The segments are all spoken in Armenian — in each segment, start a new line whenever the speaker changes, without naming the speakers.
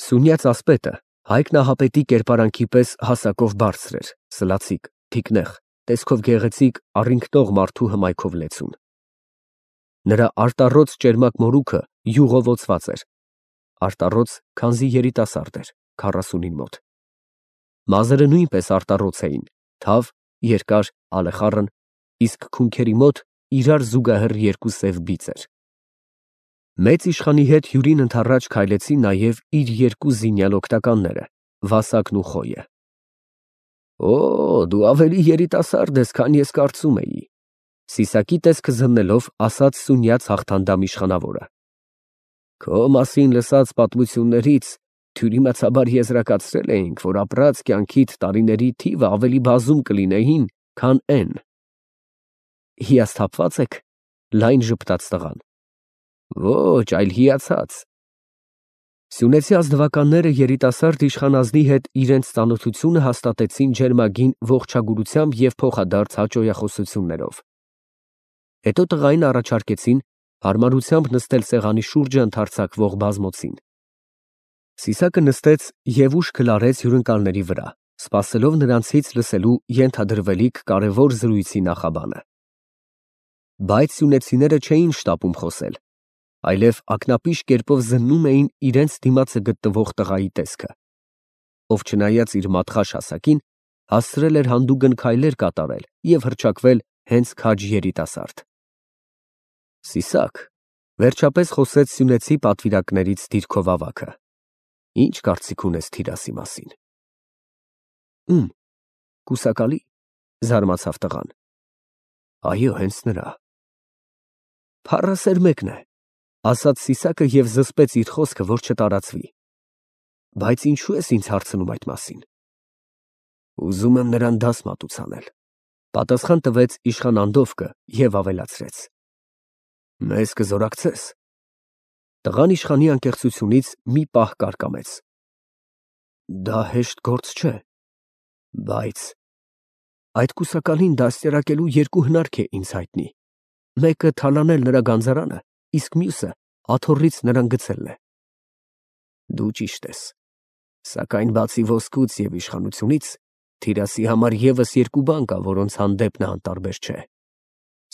Սունյաց ասպետը Հայկ Նահապետի կերպարանքի պես հասակով բարձր էր, սլացիկ, թիկնեղ, տեսքով գեղեցիկ, առինգնող մարդու հմայքով լեցուն։ Նրա արտառոց ճերմակ մորուքը յուղովոցված էր, արտառոց, քանզի երիտասարդ էր, 40-ին մոտ։ Մազերը նույնպես արտառոց էին, թավ, երկար, ալեխառն, իսկ քունքերի մոտ իրար զուգահեռ երկու սև բիծեր։ Մեծ իշխանի հետ հյուրին ընդառաջ քայլեցին նաև իր երկու զինյալ օգնականները, Վասակն ու Խոյը։ Օ, դու ավելի երիտասարդ ես, քան ես կարծում էի, Սիսակի տեսքը զննելով ասաց Սունյաց հաղթանդամ իշխանավորը։ Քո մասին լսած պատմություններից թյուրիմացաբար եզրակացրել էինք, որ ապրած կյանքիդ տարիների թիվը ավելի բազում կլինեին, քան N։ Հիասթափվա՞ծ եք, լայն ժպտաց տղան։ Ոչ, այլ հիացած։ Սյունեցի ազնվականները երիտասարդ իշխան ազնի հետ իրենց ծանոթությունը հաստատեցին ջերմագին ողջագուրությամբ և փոխադարձ հաճոյախոսություններով։ Հետո տղային առաջարկեցին հարմարությամբ նստել սեղանի շուրջը ընդարձակվող բազմոցին։ Սիսակը նստեց և ուշքը լարեց հյուրընկալների վրա, սպասելով նրանցից լսելու ենթադրվելիք կարևոր զրույցի նախաբանը։ Բայց սյունեցիները չէին շտապում խոսել, այլև ակնապիշ կերպով զննում էին իրենց դիմացը գտնվող տղայի տեսքը, ով չնայած իր մատխաշ հասակին, հասցրել էր հանդուգն քայլեր կատարել և հռչակվել հենց քաջ երիտասարդ։ Սիսակ, վերջապես խոսեց սյունեցի պատվիրակներից դիրքով ավագը, ի՞նչ կարծիք ունես Թիրասի մասին։ Ում, կուսակալի, զարմացավ տղան։ Այո, հենց նրա։ Փառասեր մեկն է, ասաց Սիսակը և զսպեց իր խոսքը, որ չտարածվի։ Բայց ինչու ես ինձ հարցնում այդ մասին։ Ուզում եմ նրան դաս մատուցանել, պատասխան տվեց իշխան Անդովկը և ավելացրեց. Մեզ կզորակցես։ Տղան իշխանի անկեղծությունից մի պահ կարկամեց։ Դա հեշտ գործ չէ, բայց այդ կուսակալին դաստիարակելու երկու հնարք է ինձ հայտնի, մեկը թալանել նրա գանձարանը, իսկ մյուսը աթոռից նրան գցելն է։ Դու ճիշտ ես, սակայն բացի ոսկուց և իշխանությունից, Թիրասի համար ևս երկու բան կա, որոնց հանդեպ նա անտարբեր չէ։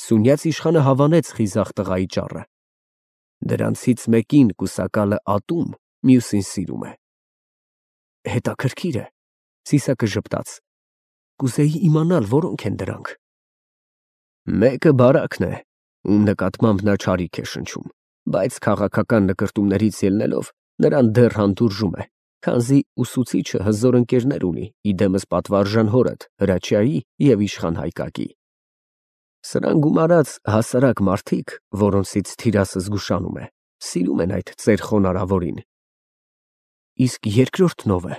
Սունյաց իշխանը հավանեց խիզախ տղայի ճառը։ Դրանցից մեկին կուսակալը ատում, մյուսին սիրում է։ Հետաքրքիր է, Սիսակը ժպտաց։ Կուզեի իմանալ, որոնք են դրանք։ Մեկը բարակն է, ում նկատմամբ նա չարիք է շնչում, բայց քաղաքական նկրտումներից ելնելով նրան դեռ հանդուրժում է, քանզի ուսուցիչը հզոր ընկերներ ունի, իդեմս պատվարժան հորդ, Հրաչյայի և իշխան Հայկակի։ Սրան գումարած հասարակ մարդիկ, որոնցից Թիրասը զգուշանում է, սիրում են այդ ծեր խոնարհավորին։ Իսկ երկրորդն ով է,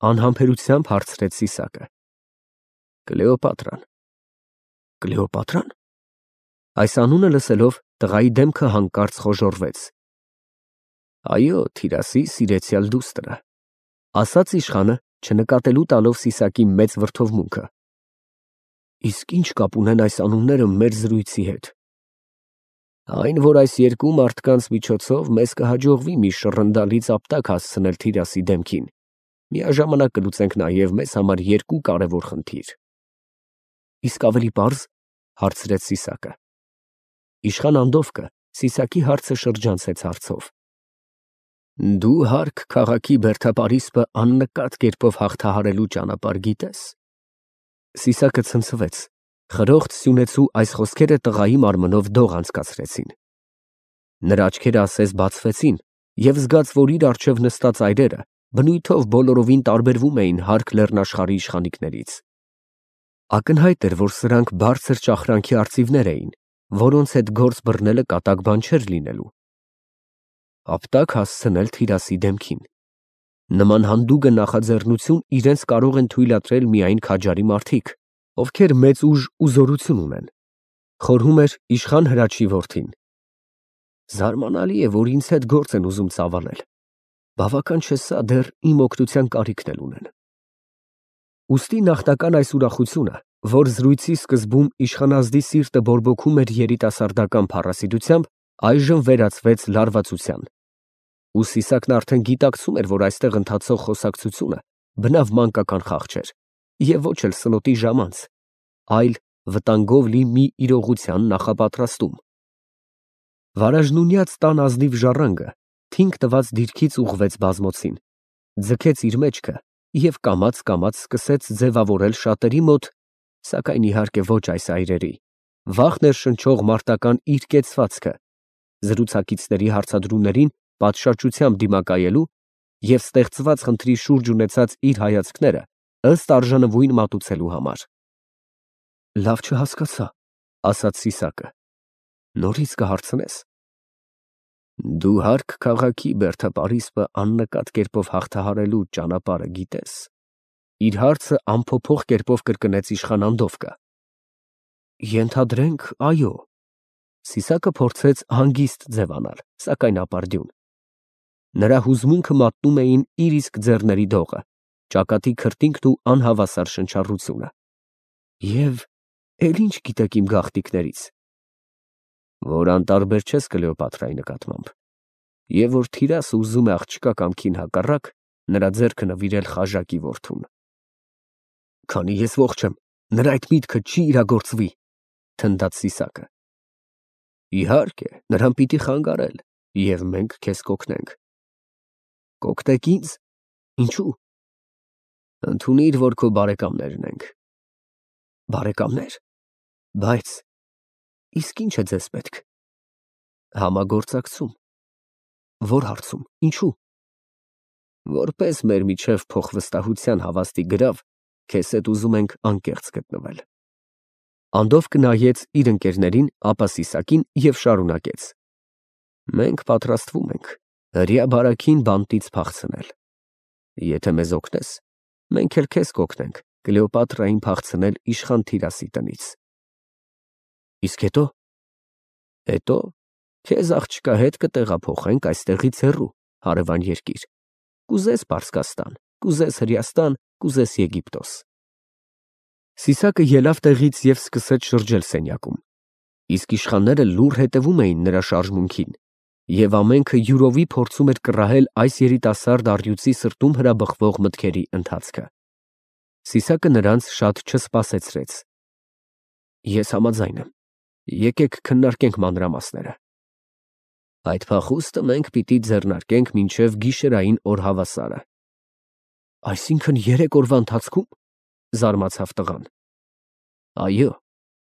անհամբերությամբ հարցրեց Սիսակը։ Կլեոպատրան։ Կլեոպատրան։ Այս անունը լսելով տղայի դեմքը հանկարծ խոժոռվեց։ Այո, Թիրասի սիրեցյալ դուստրը, ասաց իշխանը, չնկատելու տալով Սիսակի մեծ վրդովմունքը։ Իսկ ինչ կապ ունեն այս անունները մեր զրույցի հետ։ Այն, որ այս երկու մարդկանց միջոցով մեզ կհաջողվի մի շռնդալից ապտակ հասցնել Թիրասի դեմքին, միաժամանակ կլուծենք նաև մեզ համար երկու կարևոր խնդիր։ Իսկ ավելի պարզ, հարցրեց Սիսակը։ Իշխան Անդովկը Սիսակի հարցը շրջանցեց հարցով։ Դու հարկ քաղաքի բերդապարիսպը աննկատ կերպով հաղթահարելու ճանապարհ գիտես։ Սիսակը ցնցվեց, խրոխտ սյունեցու այս խոսքերը տղայի մարմնով դող անցկացրեցին։ Նրա աչքերը ասես բացվեցին և զգաց, որ իր առջև նստած այրերը բնույթով բոլորովին տարբերվում էին հարկ լեռնաշխարհի իշխանիկներից։ Ակնհայտ էր, որ սրանք բարձր ճախրանքի արծիվներ էին, որոնց հետ գործ բռնելը կատակ բան չէր լինելու։ Ապտակ հասցնել Թիրասի դեմքին։ Նման հանդուգն նախաձեռնություն իրենց կարող են թույլատրել միայն քաջարի մարդիկ, ովքեր մեծ ուժ ու զորություն ունեն։ Խորհում էր իշխան Հրաչի որդին։ Զարմանալի է, որ ինձ հետ գործ են ուզում ծավալել։ Բավական չէ սա, դեռ իմ օգնության կարիքն էլ ունեն։ Ուստի նախնական այս ուրախությունը, որ զրույցի սկզբում իշխանազդի սիրտը բորբոքում էր երիտասարդական փառասիտությամբ, այժմ վերածվեց լարվածության։ Ու Սիսակն արդեն գիտակցում էր, որ այստեղ ընթացող խոսակցությունը բնավ մանկական խաղ չէր, և ոչ էլ սնոտի ժամանց, այլ վտանգով լի մի իրողության նախապատրաստում։ Վարաժնունյաց տան ազնիվ ժառանգը թինք տված դիրքից ուղղվեց բազմոցին, ձգեց իր մեջքը և կամաց սկսեց ձևավորել շատերի մոտ, սակայն իհարկե ոչ այս այրերի, վախ ներշնչող մարտական իր կեցվածքը, զրուցակիցների հարցադրումներին պատշաճությամբ դիմակայելու և ստեղծված խնդրի շուրջ ունեցած իր հայացքները ըստ արժանվույն մատուցելու համար։ Լավ չհասկացա, ասաց Սիսակը, նորից կհարցնես։ Դու Հարք քաղաքի Բերդը Պարիսպը աննկատ կերպով հաղթահարելու ճանապարհը գիտես։ Իր հարցը անփոփոխ կերպով կրկնեց իշխան Անդովկը։ Ենթադրենք, այո։ Սիսակը փորձեց հանգիստ ձևանալ, սակայն ապարդյուն։ Նրա հուզմունքը մատնում էին իր իսկ ձեռների դողը, ճակատի քրտինքն ու անհավասար շնչառությունը։ Եվ էլ ինչ գիտեք իմ գաղտնիքներից։ Որ անտարբեր չես Կլեոպատրայի նկատմամբ, և որ թիրասը ուզում է աղջկա կամքին հակառակ նրա ձեռքը նվիրել խաժակի որդուն։ Քանի ես ողջ եմ, նրա այդ միտքը չի իրագործվի, թնդաց Սիսակը։ Իհարկե, նրան պիտի խանգարել, և մենք քեզ կօգնենք։ Կօգնեք ինձ։ Ինչու։ Ընդունիր, որ քո բարեկամներն ենք։ Բարեկամներ։ Բայց իսկ ինչ է ձեզ պետք։ Համագործակցում։ Որ հարցում, ինչու։ Որպես մեր միջև փոխվստահության հավաստի գրավ, քեզ հետ ուզում ենք անկեղծ գտնվել։ Անդովկը նայեց իր ընկերներին, ապա Սիսակին և շարունակեց. Մենք պատրաստվում ենք հրեա բարաքին բանտից փախցնել։ Եթե մեզ օգնես, մենք էլ քեզ կօգնենք Կլեոպատրային փախցնել իշխան Թիրասի տնից։ Իսկ հետո։ Հետո քեզ աղջկա հետ կտեղափոխենք այստեղից հեռու, հարևան երկիր։ Կուզես Պարսկաստան, կուզես Հրեաստան, կուզես Եգիպտոս։ Սիսակը ելավ տեղից և սկսեց շրջել սենյակում, իսկ իշխանները լուռ հետևում էին նրա շարժմունքին, և ամենքը յուրովի փորձում էր կռահել այս երիտասարդ առյուծի սրտում հրաբխվող մտքերի ընթացքը։ Սիսակը նրանց շատ չսպասեցրեց։ Ես համաձայն եմ, եկեք քննարկենք մանրամասները։ Այդ փախուստը մենք պիտի ձեռնարկենք մինչև գիշերային օրհավասարը։ Այսինքն 3 օրվա ընթացքո՞ւմ, զարմացավ տղան։ Այո,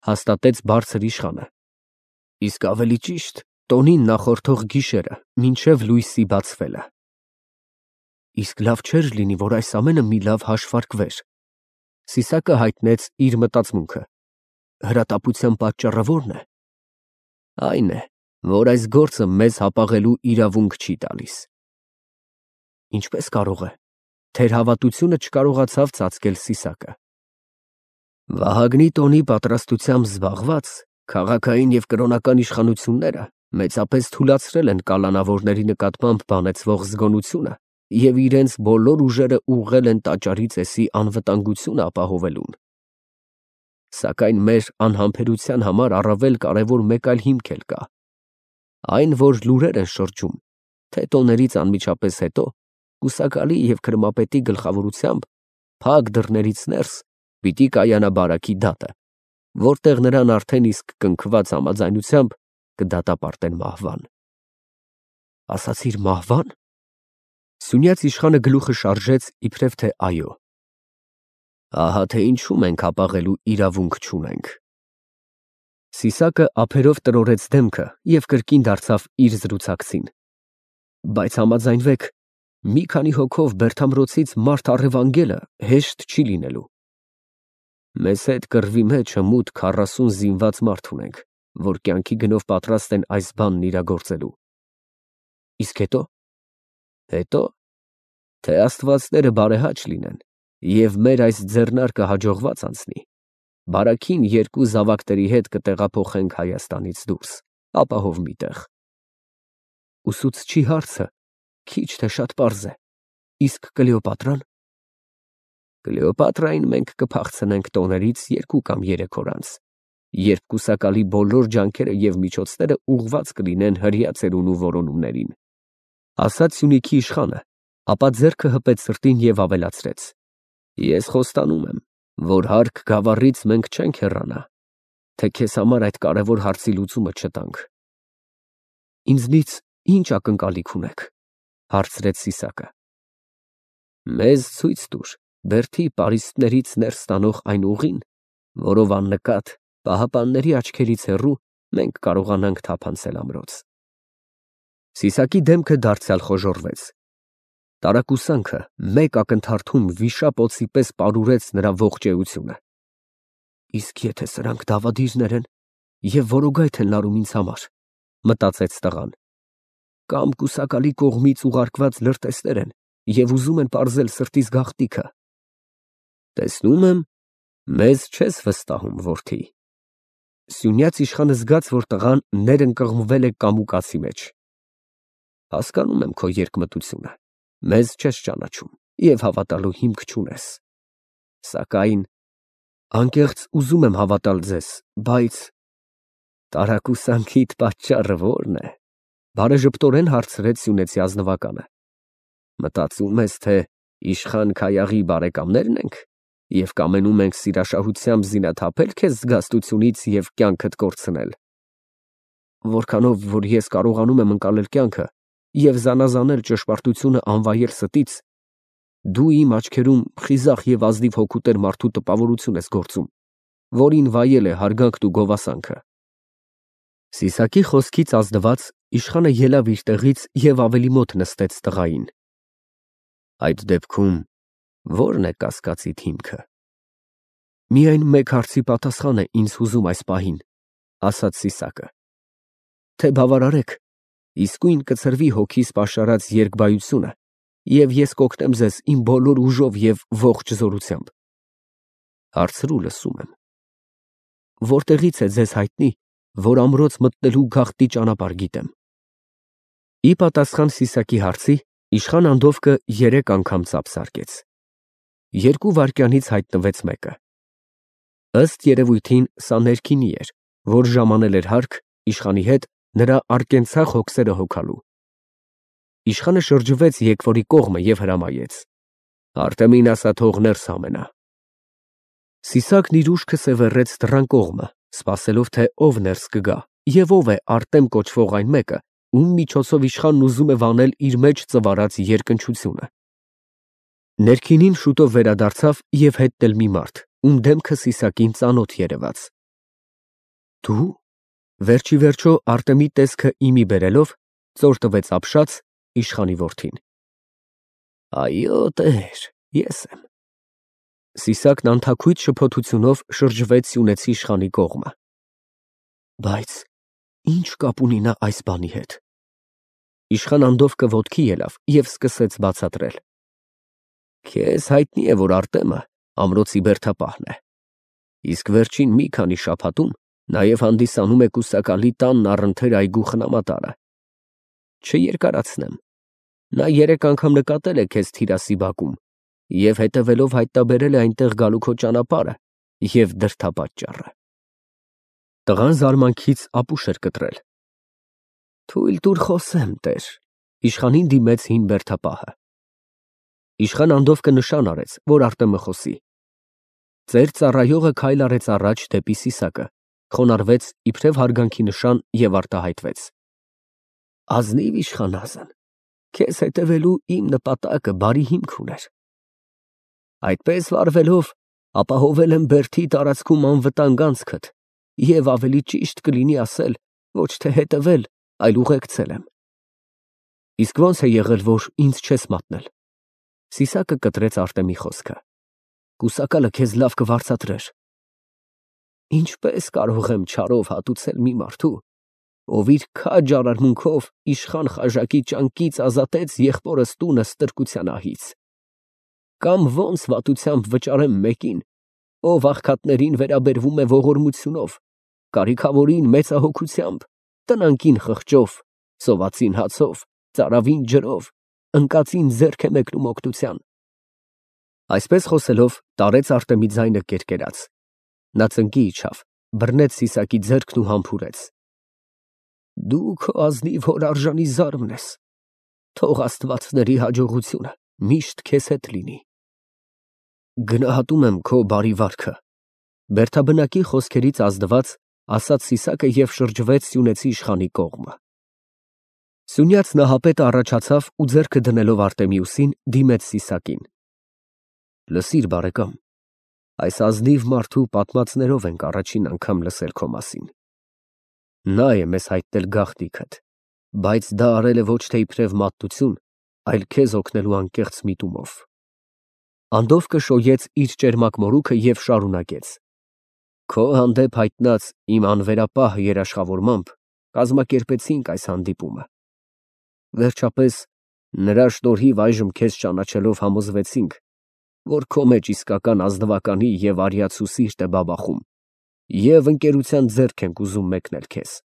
հաստատեց բարձր իշխանը։ Իսկ ավելի ճիշտ, տոնին նախորդող գիշերը, մինչև լույսի բացվելը։ Իսկ լավ չէր լինի, որ այս ամենը մի լավ հաշվարկվեր։ Սիսակը հայտնեց իր մտածմունքը։ Հրատապության պատճառը ո՞րն է։ Այն է, որ այս գործը մեզ հապաղելու իրավունք չի տալիս։ Ինչպես կարող է։ Թերհավատությունը չկարողացավ ծածկել Սիսակը։ Վահագնի տոնի պատրաստությամբ զբաղված քաղաքային և կրոնական իշխանությունները մեծապես թուլացրել են կալանավորների նկատմամբ բանեցվող զգոնությունը և իրենց բոլոր ուժերը ուղղել են տաճարի ծեսի անվտանգությունը ապահովելուն։ Սակայն մեր անհամբերության համար առավել կարևոր մեկ այլ հիմք էլ կա։ Այն, որ լուրեր են շրջում, թե տոներից անմիջապես հետո կուսակալի և քրմապետի գլխավորությամբ փակ դռներից ներս պիտի կայանա բարաքի դատը, որտեղ նրան արդեն իսկ կնքված համաձայնությամբ կդատապարտեն մահվան։ Ասացիր մահվա՞ն։ Սյունյաց իշխանը գլուխը շարժեց իբրև թե այո։ Ահա թե ինչու մենք հապաղելու իրավունք չունենք։ Սիսակը ափերով տրորեց դեմքը և կրկին դարձավ իր զրուցակցին։ Բայց համաձայնվեք, մի քանի հոգով Բերդամրոցից մարդ առևանգելը հեշտ չի լինելու։ Մեզ հետ կռվի մեջը մուտք 40 զինված մարդ ունենք, որ կյանքի գնով պատրաստ են այս բանն իրագործելու։ Իսկ հետո։ Հետո, թե աստվածները բարեհաճ լինեն, և մեր այս ձեռնարկը հաջողված անցնի, բարաքին 2 զավակների հետ կտեղափոխենք Հայաստանից դուրս, ապահով մի տեղ։ Ուսուցչի հարցը քիչ թե շատ պարզ է։ Իսկ Կլեոպատրան։ Կլեոպատրային մենք կփախցնենք տոներից 2 կամ 3 օր անց, երբ կուսակալի բոլոր ջանքերը և միջոցները ուղղված կլինեն հրեա ծերունու որոնումներին։ Ասաց Սյունիքի իշխանը, ապա ձեռքը հպեց սրտին և ավելացրեց. Ես խոստանում եմ, որ հարկ գավառից մենք չենք հեռանա, թե քեզ համար այդ կարևոր հարցի լուծումը չտանք։ Ինձնից ինչ ակնկալիք ունեք, հարցրեց Սիսակը։ Մեզ ցույց տուր բերդի պարիսպներից ներս տանող այն ուղին, որով աննկատ պահապանների աչքերից հեռու մենք կարողանանք թափանցել ամրոց։ Սիսակի դեմքը դարձյալ խոժոռվեց։ Տարակուսանքը մեկ ակնթարթում վիշապ օձի պես պարուրեց նրա ողջ էությունը։ Իսկ եթե սրանք դավադիրներ են և որոգայթ են լարում ինձ համար, մտածեց տղան, կամ կուսակալի կողմից ուղարկված լրտեսներ են և ուզում են պարզել սրտիս գաղտնիքը։ Տեսնում եմ, մեզ չես վստահում, որդի։ Սյունյաց իշխանը զգաց, որ տղան ներընկղմվել է կամուկացի մեջ։ Հասկանում եմ քո երկմտությունը, մեզ չես ճանաչում և հավատալու հիմք չունես։ Սակայն անկեղծ ուզում եմ հավատալ ձեզ, բայց տարակուսանքիդ պատճառը ո՞րն է, բարեժպտորեն հարցրեց սյունեցի ազնվականը։ Մտածում ես, թե իշխան Քայաղի բարեկամներն ենք և կամենում ենք սիրաշահությամբ զինաթափել քեզ զգաստությունից և կյանքդ կորցնել։ Որքանով որ ես կարողանում եմ ընկալել կյանքը և զանազանել ճշմարտությունը անվայել ստից, դու իմ աչքերում խիզախ և ազնիվ հոգուտեր մարդու տպավորություն ես գործում, որին վայել է հարգանքն ու գովասանքը։ Սիսակի խոսքից ազնված իշխանը ելավ իր տեղից և ավելի մոտ նստեց տղային։ Այդ դեպքում ո՞րն է կասկածիդ հիմքը։ Միայն մեկ հարցի պատասխան է ինձ հուզում այս պահին, ասաց Սիսակը, թե բավարարեք, իսկույն կցրվի հոգիս պաշարած երկբայությունը, և ես կօգնեմ ձեզ իմ բոլոր ուժով և ողջ զորությամբ։ Հարցրու, լսում եմ։ Որտեղից է ձեզ հայտնի, որ ամրոց մտնելու գաղտնի ճանապարհ գիտեմ։ Ի պատասխան Սիսակի հարցի իշխան Անդովկը 3 անգամ ծափ զարկեց։ 2 վայրկյանից հայտնվեց մեկը։ Ըստ երևույթին սա ներքինի էր, որ ժամանել էր հարկ իշխանի հետ նրա արկենցաղ հոգսերը հոգալու։ Իշխանը շրջվեց եկվորի կողմը և հրամայեց. Արտեմին ասա թող ներս համենա։ Սիսակն իր ուշքը սևեռեց դռան կողմը, սպասելով, թե ով ներս կգա և ով է Արտեմ կոչվող այն մեկը, ում միջոցով իշխանն ուզում է վանել իր մեջ ծվարած երկնչությունը։ Ներքինին շուտով վերադարձավ և հետն էլ մի մարդ, ում դեմքը Սիսակին ծանոթ երևաց։ Դու… Վերջ ի վերջո Արտեմի տեսքը իմի բերելով, ծոր տվեց ապշած իշխանի որդին։ Այո, տեր, ես եմ։ Սիսակն անթաքույց շփոթությունով շրջվեց սյունեցի իշխանի կողմը։ Բայց ի՞նչ կապ ունի նա այս բանի հետ։ Իշխան Անդովկը ոտքի ելավ և սկսեց բացատրել։ Քեզ հայտնի է, որ Արտեմը ամրոցի բերդապահն է, իսկ վերջին մի քանի շաբաթում նաև հանդիսանում է կուսակալի տանն առընթեր այգու խնամատարը։ Չերկարացնեմ, նա 3 անգամ նկատել է քեզ Թիրասի բակում և հետևելով հայտնաբերել է այնտեղ գալու քո ճանապարհը և դրդապատճառը։ Տղան զարմանքից ապուշ էր կտրել։ Թույլ տուր խոսեմ, տեր, իշխանին դիմեց հին բերդապահը։ Իշխան Անդովկը նշան արեց, որ Արտեմը խոսի։ Ծեր ծառայողը քայլ արեց առաջ դեպի Սիսակը, խոնարհվեց իբրև հարգանքի նշան և արտահայտվեց. Ազնիվ իշխանազն, քեզ հետևելու իմ նպատակը բարի հիմք ուներ։ Այդպես վարվելով ապահովել եմ բերդի տարածքում անվտանգ անցքդ և ավելի ճիշտ կլինի ասել, ոչ թե հետևել, այլ ուղեկցել եմ։ Իսկ ո՞նց է եղել, որ ինձ չես մատնել։ Սիսակը կտրեց Արտեմի խոսքը։ Կուսակալը քեզ լավ կվարձատրեր։ Ինչպես կարող եմ չարով հատուցել մի մարդու, ով իր քաջ արարմունքով իշխան Խաժակի ճանկից ազատեց եղբորս տունը ստրկության ահից։ Կամ ո՞նց վատությամբ վճարեմ մեկին, ով աղքատներին վերաբերվում է ողորմությունով, կարիքավորին մեծահոգությամբ, տնանկին խղճով, սովածին հացով, ծարավին ջրով, ընկածին ձեռք է մեկնում օգնության։ Այսպես խոսելով տարեց Արտեմի ձայնը կերկերած։ Նա ծնկի իջավ, բռնեց Սիսակի ձեռքն ու համբուրեց։ Դու քո ազնիվ հոր արժանի զարմն ես։ Թող աստվածների հաջողությունը միշտ քեզ հետ լինի։ Գնահատում եմ քո բարի վարքը, Բերդաբնակի խոսքերից ազդված ասաց Սիսակը և շրջվեց սյունեցի իշխանի կողմը։ Սյունյաց նահապետը առաջացավ ու ձեռքը դնելով Արտեմիուսին դիմեց Սիսակին։ Լսիր, բարեկամ, այս ազնիվ մարդու պատմածներով ենք առաջին անգամ լսել քո մասին։ Նա է մեզ հայտնել գաղտնիքդ, բայց դա արել է ոչ թե իբրև մատտություն, այլ քեզ օգնելու անկեղծ միտումով։ Անդովկը շոյեց իր ճերմակ մորուքը և շարունակեց. Քո հանդեպ հայտնած իմ անվերապահ երաշխավորմամբ կազմակերպեցինք այս հանդիպումը։ Վերջապես, նրա շնորհիվ այժմ քեզ ճանաչելով համոզվեցինք, որ քո մեջ իսկական ազնվականի և արիացու սիրտ է բաբախում, և ընկերության ձեռք ենք ուզում մեկնել քեզ։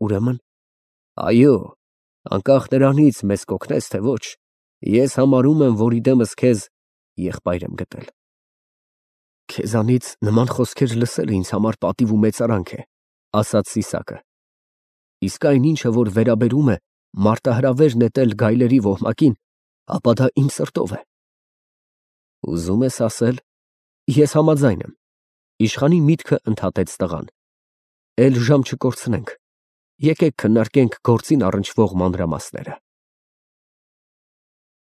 Ուրեմն, այո, անկախ նրանից մեզ կօգնես, թե ոչ, ես համարում եմ, որ իդեմս քեզ եղբայր եմ գտել։ Քեզանից նման խոսքեր լսելը ինձ համար պատիվ ու մեծարանք է, ասաց Սիսակը։ Իսկ այն ինչը, որ վերաբերում է մարտահրավեր նետել գայլերի ոհմակին, ապա դա իմ սրտով է։ Ուզում ես ասել, ես համաձայն եմ, իշխանի միտքը ընդհատեց տղան։ Էլ ժամ չկորցնենք, եկեք քննարկենք գործին առնչվող մանրամասները։